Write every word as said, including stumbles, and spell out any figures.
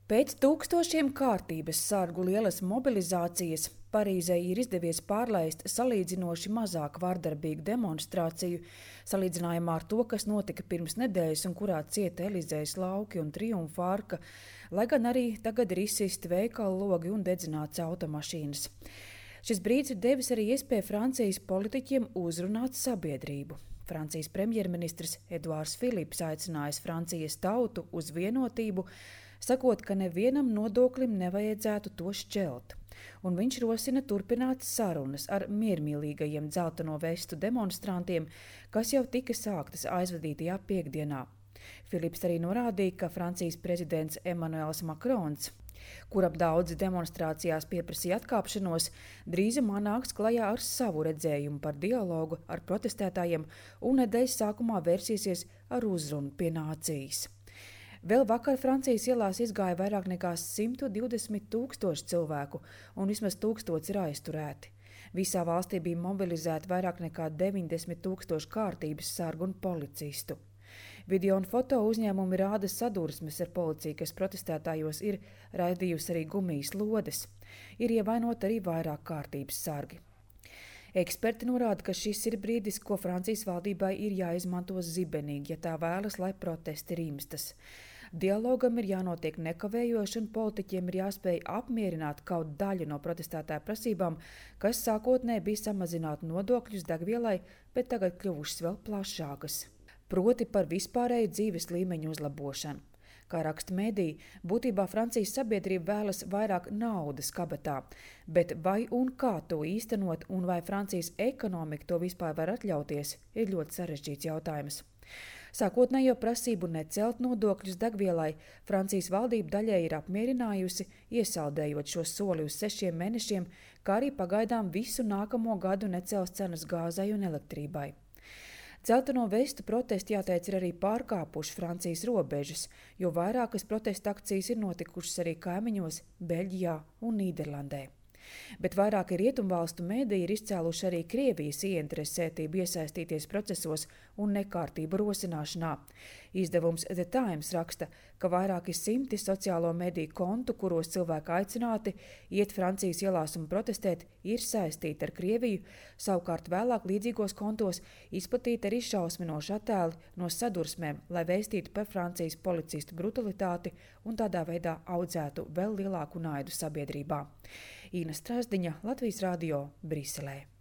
Pēc tūkstošiem kārtības sargu lielas mobilizācijas Parīzei ir izdevies pārlaist salīdzinoši mazāk vardarbīgu demonstrāciju, salīdzinājumā ar to, kas notika pirms nedēļas un kurā cieta Elizejas lauki un Triumfa arka, lai gan arī tagad ir izsisti veikalu logi un dedzināts automašīnas. Šis brīdis ir devis arī iespēju Francijas politiķiem uzrunāt sabiedrību. Francijas premjerministrs Eduards Filips aicinājis Francijas tautu uz vienotību, sakot, ka nevienam nodoklim nevajadzētu to šķelt. Un viņš rosina turpināt sarunas ar miermīlīgajiem dzelteno vestu demonstrantiem, kas jau tika sāktas aizvadītajā piekdienā. Filips arī norādīja, ka Francijas prezidents Emmanuels Macrons, kuram daudzi demonstrācijās pieprasīja atkāpšanos, drīzumā nāks klajā ar savu redzējumu par dialogu ar protestētājiem un nedēļas sākumā vērsīsies ar uzrunu pie nācijas. Vēl vakar Francijas ielās izgāja vairāk nekā simt divdesmit tūkstoši cilvēku, un vismaz tūkstots ir aizturēti. Visā valstī bija mobilizēti vairāk nekā deviņdesmit tūkstoši kārtības sargu un policistu. Video un foto uzņēmumi rāda sadursmes ar policiju, kas protestētājos ir raidījusi arī gumijas lodes. Ir ievainoti arī vairāk kārtības sargi. Eksperti norāda, ka šis ir brīdis, ko Francijas valdībai ir jāizmanto zibenīgi, ja tā vēlas, lai protesti rimstas. Dialogam ir jānotiek nekavējoši un politiķiem ir jāspēj apmierināt kaut daļu no protestētāju prasībām, kas sākotnēji bija samazināt nodokļus degvielai, bet tagad kļuvušas vēl plašākas. Proti par vispārēju dzīves līmeņu uzlabošanu. Kā raksta mediji, būtībā Francijas sabiedrība vēlas vairāk naudas kabatā, bet vai un kā to īstenot un vai Francijas ekonomika to vispār var atļauties, ir ļoti sarežģīts jautājums. Sākotnējo prasību necelt nodokļus degvielai Francijas valdība daļai ir apmierinājusi, iesaldējot šo soli uz sešiem mēnešiem, kā arī pagaidām visu nākamo gadu necels cenas gāzei un elektrībai. Dzelteno vestu protesti, jāteic, ir arī pārkāpuši Francijas robežas, jo vairākas protesta akcijas ir notikušas arī kaimiņos Beļģijā un Nīderlandē. Bet vairāki rietumvalstu mediji ir izcēluši arī Krievijas ieinteresētību iesaistīties procesos un nekārtību rosināšanā. Izdevums The Times raksta, ka vairāki simti sociālo mediju kontu, kuros cilvēki aicināti iet Francijas ielās un protestēt, ir saistīti ar Krieviju, savukārt vēlāk līdzīgos kontos izplatīti arī šausminoši attēli no sadursmēm, lai vēstītu par Francijas policistu brutalitāti un tādā veidā audzētu vēl lielāku naidu sabiedrībā. Ina Strasdiņa, Latvijas radio, Briselē.